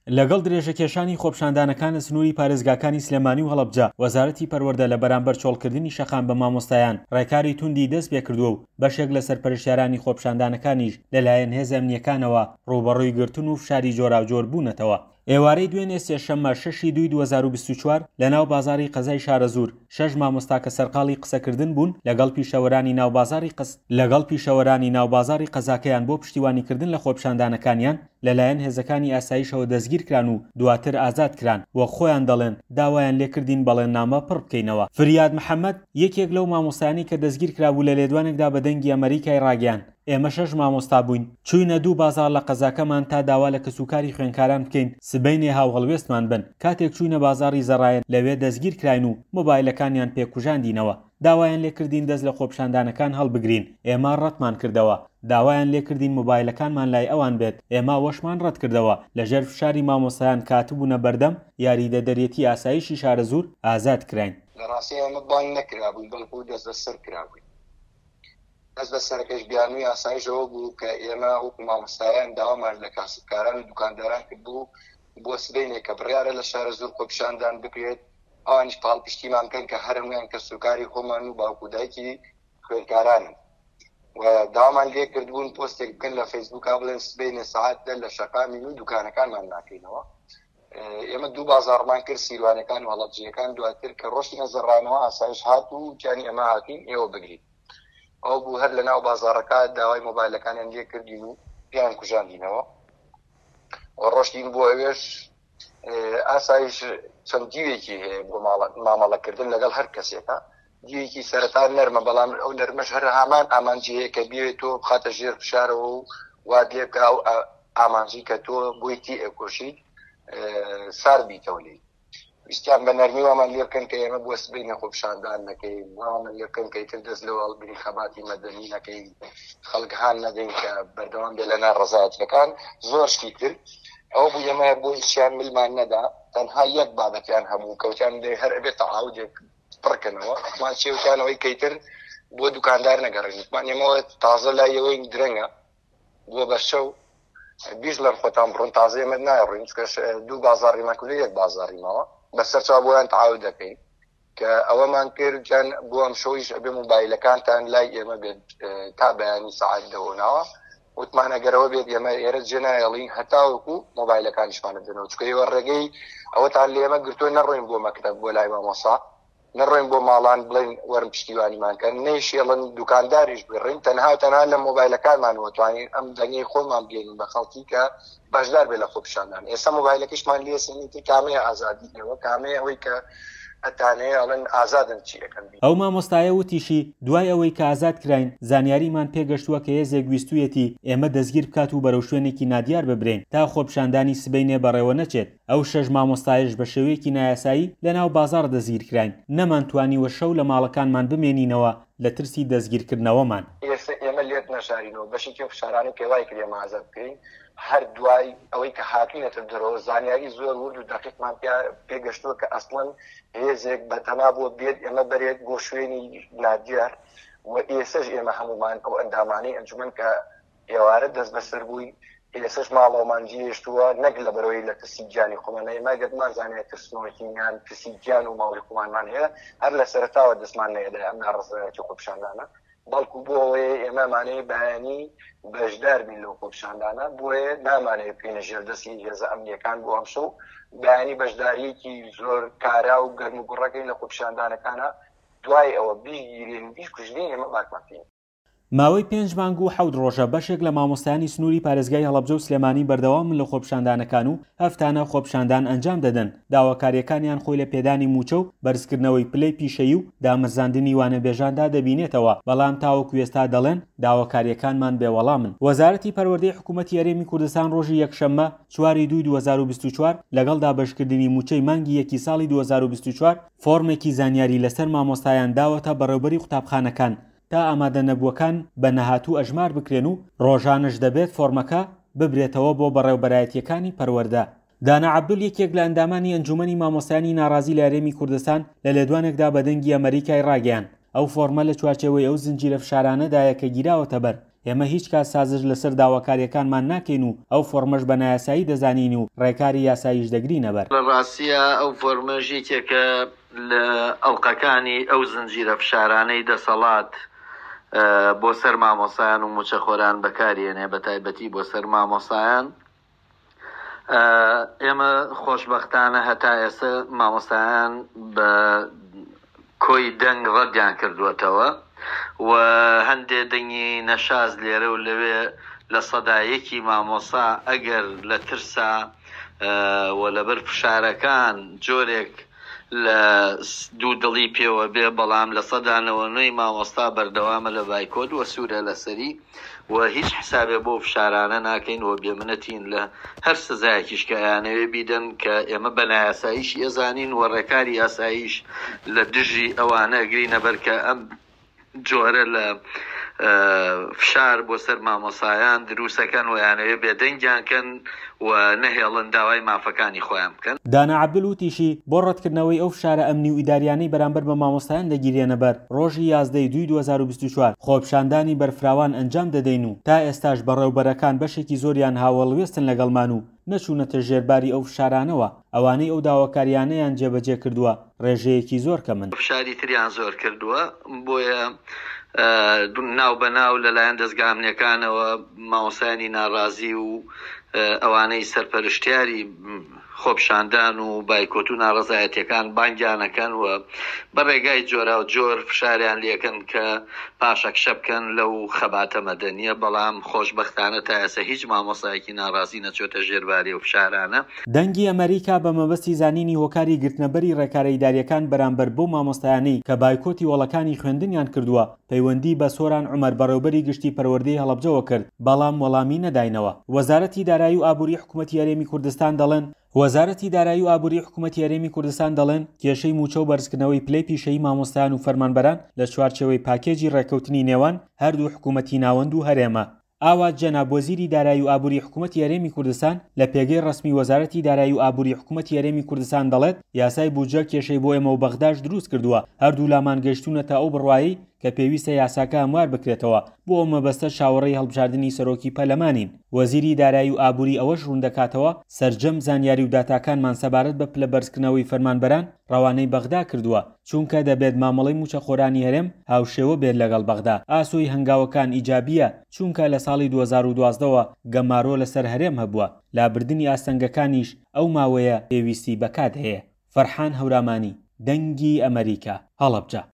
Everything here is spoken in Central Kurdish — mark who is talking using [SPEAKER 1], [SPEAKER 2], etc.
[SPEAKER 1] لەگەڵ درێژەکێشانی خۆپیشاندانەکان لە سنووری پارێزگاکانی سلێمانی و هەڵەبجە، وەزارەتی پەروەردە لە بەرامبەر چۆڵکردنی شەقام بە مامۆستایان ڕێکاری توندی دەستپێکردووە و بەشێک لە سەرپەرشتیارانی خۆپیشاندانەکانیش لەلایەن هێزە ئەمنییەکانەوە ڕووبەڕووی گرتن و فشاری جۆراوجۆر بوونەتەوە. ئێوارەی دوێنێ سێشەممە شەشی دووی 2024 لەناو بازاڕی قەزای شارەزوور شەش مامۆستا کە سەرقاڵی قسەکردن بوون لەگەڵ پیشەوەرانی ناو بازاڕی لەگەڵ پیشەوەرانی ناو بازاڕی قەزاکەیان بۆ پشتیوانیکردن لە خۆپیشاندانەکانیان لەلایەن هێزەکانی ئاسایشەوە دەستگیرکران و دواتر ئازادکران، وەک خۆیان دەڵێن داوایان لێکردین بەڵێننامە پڕ بکەینەوە. فریاد محەمەد، یەکێک لەو مامۆستایانەی کە دەستگیرکرابوو لە لێدوانێکدا بە دەنگی ئەمەریکای ڕاگەیاند، ئێمە شەش مامۆستا بووین، چووینە دوو بازاڕ لە قەزاکەمان تا داوا لە کەسوکاری خوێندکاران بکەین سبەینێ هاوهەڵوێستمان بن، کاتێک چووینە بازاڕی زەڕایەن لەوێ دەستگیرکراین و مۆبایلەکانیان پێ کوژاندینەوە. داوایان لێکردین دەست لە خۆپیشاندانەکان هەڵبگرین، ئێمە ڕەتمان کردەوە. داوایان لێکردین مۆبایلەکانمان لای ئەوان بێت، ئێمە ئەوەشمان ڕەتکردەوە. لەژێر فشاری مامۆستایان کە هاتبوونە بەردەم یاریدەدەرێتی ئاسایشی شارەزوور، ئازاد کراین.
[SPEAKER 2] لە ڕاستیا ئێمە بانگ نەکرابووین، بەڵکو دەستبەسەر کرابووین. دەستبەسەرەکەش بیانووی ئاسایش ئەوە بوو کە ئێمە وەکو مامۆستایان داوامان لە کاسبکاران و دوکانداران کردبوو بۆ سبەینێ کە بڕیارە لە شارەزوور خۆپیشاندان بکرێت، ئەوانیش پاڵپشتیمان بکەن کە هەر هەموویان کەسوکاری خۆمان و باوک و دایکی خوێندکارانن و داوامان لێ کردبوون پۆستێک بکەن لە فەیسبووکا بڵێن سبەینێ سەعات دە لە شەقامین و دوکانەکانمان ناکەینەوە. ئێمە دوو بازاڕمان کرد، سیروانەکان و هەڵەبجەیەکان. دواتر کە ڕۆشتینە زەڕانەوە ئاسایش هات و وتیانی ئێمە هاتوین ئێوە بگرین. ئەو بوو هەر لە ناو بازاڕەکە داوای مۆبایلەکانیان لێ کردین و پێیان کوژاندینەوە و ڕۆشتین بۆ ئەوێش. ئاسایش چەند دیوێکی هەیە بۆ مامەڵەکردن لەگەڵ هەر کەسێکە. دیوێکی سەرەتا نەرمە، بەڵام ئەو نەرمەش هەر هامان ئامانجی هەیە کە بیەوێت تۆ بخاتە ژێر فشارەوە و وات لێ بکا ئەو ئامانجی کە تۆ بۆی تی ئەکۆشیت سارد بیتەوە لێی. ویستیان بە نەرمی وامان لێ بکەن کە ئێمە بۆ سبەینێ خۆپیشاندان نەکەین، وامان لێ بکەن کە ئیتر دەست لەوە هەڵگرین خەباتی مەدەنی نەکەین، خەڵک هان نەدەین کە بەردەوام بێ لە ناڕەزایەتیەکان، زۆر شتی تر. ئەوە بوو ئێمە بۆ هیچیان ملمان نەدا، تەنها یەک بابەتیان هەبوو کەوتیان دەی هەر ئەبێ تەعاودێک پڕکەنەوە. وتمان چێ وتیانەوەی کەیتر بۆ دوکاندار نەگەڕێن. وتمان ئێمەوە تازە لای ئێوەین درەنگە بۆ بەرچەو بیشڵێن خۆتان بڕۆن تازە ئێمە نایڕۆین چونکە دوو بازاڕیمان کردو یەک بازاڕی ماوە بەسەر چاو بۆیان تەعاود دەکەین کە ئەوەمان کرد جان بۆ ئەم شەویش ئەبێ مۆبایلەکانتان لای ئێمە بێت تا بەیانی سەعات دەوە ناوە وتمان ئەگەرەوە بێت ئێمە ئێرە جێ نایەڵین هەتاوەکو مۆبایلەکانیشمان بدەنەوە چونکە ئێوە ڕێگەی ئەوەتان لە ئێمە گرتووە نەڕۆین بۆ مەکتەب بۆ لای مامۆسا نەڕۆین بۆ ماڵان بڵێین وەرن پشتیوانیمان کەن، نەیشێڵن دوکانداریش بگڕین، تەنها و تەنها لە مۆبایلەکانمانەوە توانین ئەم دەنگەی خۆمان بگەینین بە خەڵکی کە بەشدار بێت لە خۆپیشاندان. ئێستا مۆبایلەکەشمان لێ سەنین تر کامەیە ئازادی ئێوە، کامەیە ئەوەی کە ئەتانەوێ ئەڵێن ئازادن چی ئەکەن بیکەن.
[SPEAKER 1] ئەو مامۆستایە وتیشی، دوای ئەوەی کە ئازاد کراین، زانیاریمان پێگەشتووە کە هێزێک ویستوویەتی ئێمە دەستگیر بکات و بەرەو شوێنێکی نادیار ببرێین تا خۆپیشاندانی سبەینێ بەڕێوە نەچێت. ئەو شەش مامۆستایەش بە شێوەیەکی نایاسایی لەناو بازاڕ دەستگیرکراین، نەمانتوانیوە شەو لە ماڵەکانمان بمێنینەوە لە ترسی دەستگیرکردنەوەمان.
[SPEAKER 2] ئێستا ئێمە لێت نەشارینەوە بەشێکی ئەو فشارانەی کە وای کرد ئێمە ئازاد بکرێین، هەر دوای ئەوەی کە هاتوینەتە دەرەوە زانیاری زۆر ورد و دەقیقمان پێ گەشتووە کە ئەسڵەن هێزێک بەتەما بووە بێت ئێمە بەرێت بۆ شوێنی نادیار و ئێسەش ئێمە هەموومان ئەو ئەندامانەی ئەنجومەن کە ئێوارە دەستبەسەر بووین، ئێسەش ماڵەوەمان جێهێشتووە، نەک لەبەرئەوەی لە ترسی گیانی خۆمان، ئێمە ئەگەر بمانزانیایە ترسنۆکین یان ترسی گیان و ماڵی خۆمانمان هەیە، هەر لە سەرەتاوە دەستمان نەیەدایە ئەم ناڕەزایەتی و خۆپیشاندانە، بەڵکو بۆ ئەوەیە ئێمە ئەمانەوێ بەیانی بەشدار بین لەو خۆپیشاندانە، بۆیە نامانەوێ بکەینە ژێر دەستی هێزە ئەمنییەکان بۆ ئەمشەو بەیانی بەشدارییەکی زۆر کارا و گەرموگوڕەکەین لە خۆپیشاندانەکانا، دوای ئەوە بیشگیرێن و بیشکوژرێن ئێمە باکمان پێ نییە.
[SPEAKER 1] ماوەی پێنج مانگ و حەوت ڕۆژە بەشێک لە مامۆستایانی سنووری پارێزگای هەڵەبجە و سلێمانی بەردەوامن لە خۆپیشاندانەکان و هەفتانە خۆپیشاندان ئەنجام دەدەن، داواکارییەکانیان خۆی لە پێدانی مووچە و بەرزکردنەوەی پلەی پیشەیی و دامەزراندنی وانەبێژاندا دەبینێتەوە، بەڵام تاوەکو ئێستا دەڵێن داواکارییەکانمان بێ وەڵامن. وەزارەتی پەروەردەی حکوومەتی هەرێمی کوردستان ڕۆژی یەکشەممە چواری دووی 2024 لەگەڵ دابەشکردنی مووچەی مانگی یەکی ساڵی 2024 فۆڕمێکی زانیاری لەسەر مامۆستایان داوەتە بەڕێوبەری قوتابخانەکان تا ئامادەنەبووەکان بە نەهاتوو ئەژمار بکرێن و ڕۆژانەش دەبێت فۆڕمەکە ببرێتەوە بۆ بەڕێوبەرایەتییەکانی پەروەردە. دانا عەبدول یەکێک لە ئەندامانی ئەنجومەنی مامۆستایانی ناڕازی لە هەرێمی کوردستان لە لێدوانێکدا بە دەنگی ئەمەریکای ڕاگەیاند، ئەو فۆڕمە لە چوارچێوەی ئەو زنجیرە فشارانەدایە کە گیراوەتەبەر. ئێمە هیچ کات سازش لەسەر داواکارییەکانمان ناکەین و ئەو فۆڕمەش بە نایاسایی دەزانین و ڕێکاری یاساییش دەگرینەبەر.
[SPEAKER 3] لە ڕاستیا ئەو فۆرمەش یەکێکە لە ئەڵقەکانی ئەو زنجیرە فشارانەی دەسەڵات بۆ سەر مامۆستایان و مووچەخۆران بەکاریێنێ، بەتایبەتی بۆ سەر مامۆستایان. ئێمە خۆشبەختانە هەتا ئێستا مامۆستایان بە کۆی دەنگ ڕەدیان کردووەتەوە و هەندێ دەنگی نەشاز لێرە و لەوێ 1% مامۆستا ئەگەر لە ترسا و لەبەر فشارەکان جۆرێک لە دوو دڵی پێوە بێ، بەڵام 99% مامۆستا بەردەوامە لە بایکۆت و سوورە لەسەری و هیچ حسابێ بۆ فشارانە ناکەین و بێمنەتین لە هەر سزایەکیش کە ئەیانەوێ بیدەن کە ئێمە بە نایاساییشی ئەزانین و ڕێکاری یاساییش لە دژی ئەوانە ئەگرینە بەر کە ئەم جۆرە لە فشار بۆ سەر مامۆسایان دروستەکەن و یانەوێ بێدەنگیان کەن و نەهێڵن داوای مافەکانی خۆیان بکەن.
[SPEAKER 1] دانا عەبدول وتیشی، بۆ ڕەتکردنەوەی ئەو فشارە ئەمنی و ئیداریانەی بەرامبەر بە مامۆستایان دەگیرێنە بەر، ڕۆژی 11 ی دووی 2024 خۆپیشاندانی بەرفراوان ئەنجام دەدەین و تا ئێستاش بەڕێوبەرەکان بەشێکی زۆریان هاوهەڵوێستن لەگەڵمان و نەچوونەتە ژێر باری ئەو فشارانەوە، ئەوانەی ئەو داواکارییانەیان جێبەجێ کردووە ڕێژەیەکی زۆر کەمن.
[SPEAKER 3] فشاری تریان زۆر کردووە، بۆیە ناو بە ناو لەلایەن دەزگا ئەمنییەکانەوە مامۆستایانی ناڕازی و ئەوانەی سەرپەرشتیاری خۆپیشاندان و بایکۆت و ناڕەزایەتیەکان بانگیان ئەکەن و بە ڕێگای جۆراوجۆر فشاریان لێکەن کە پاشەکشە بکەن لەو خەباتە مەدەنیە، بەڵام خۆشبەختانە تا ئێستا هیچ مامۆستایەکی ناڕازی نەچۆتە ژێر باری ئەو فشارانە.
[SPEAKER 1] دەنگی ئەمەریکا بە مەبەستی زانینی هۆکاری گرتنەبەری ڕێکارە ئیداریەکان بەرامبەر بەو مامۆستایانەی کە بایکۆتی هۆڵەکانی خوێندنیان کردووە پەیوەندی بە سۆران عومەر بەڕێوبەری گشتی پەروەردەی هەڵەبجەوە کرد، بەڵام وەڵامی نەداینەوە. وەزارەتی دارایی و ئابووری حکومەتی هەرێمی کوردستان دەڵێن، وەزارەتی دارایی و ئابووری حکومەتی هەرێمی کوردستان دەڵێن، کێشەی مووچە و بەرزکردنەوەی پلەی پیشەیی مامۆستایان و فەرمانبەران لە چوارچێوەی پاکێجی ڕێککەوتنی نێوان هەردوو حکومەتی ناوەند و هەرێمە. ئاوات جەناب وەزیری دارایی و ئابووری حکومەتی هەرێمی کوردستان لە پێگەی ڕەسمی وەزارەتی دارایی و ئابووری حکومەتی هەرێمی کوردستان دەڵێت، یاسای بودجە کێشەی بۆ ئێمە و بەغداش دروست کردووە، هەردوولامان گەیشتوونەتە ئەو بڕوایەی کە پێویستە یاساکە هەموار بکرێتەوە، بۆ ئەو مەبەستە چاوەڕێی هەڵبژاردنی سەرۆکی پەرلەمانین. وەزیری دارایی و ئابووری ئەوەش ڕووندەکاتەوە، سەرجەم زانیاری و داتاکانمان سەبارەت بە پلە بەرزکردنەوەی فەرمانبەران ڕەوانەی بەغدا کردووە، چونکە دەبێت مامەڵەی مووچەخۆرانی هەرێم هاوشێوە بێت لەگەڵ بەغدا، ئاسۆی هەنگاوەکان ئیجابییە، چونکە لە ساڵی 2012 وە گەمارۆ لەسەر هەرێم هەبووە، لابردنی ئاستەنگەکانیش ئەو ماوەیە پێویستی بە کات هەیە. فەرحان هەورامانی، دەنگی ئەمەریکا، هەڵەبجە.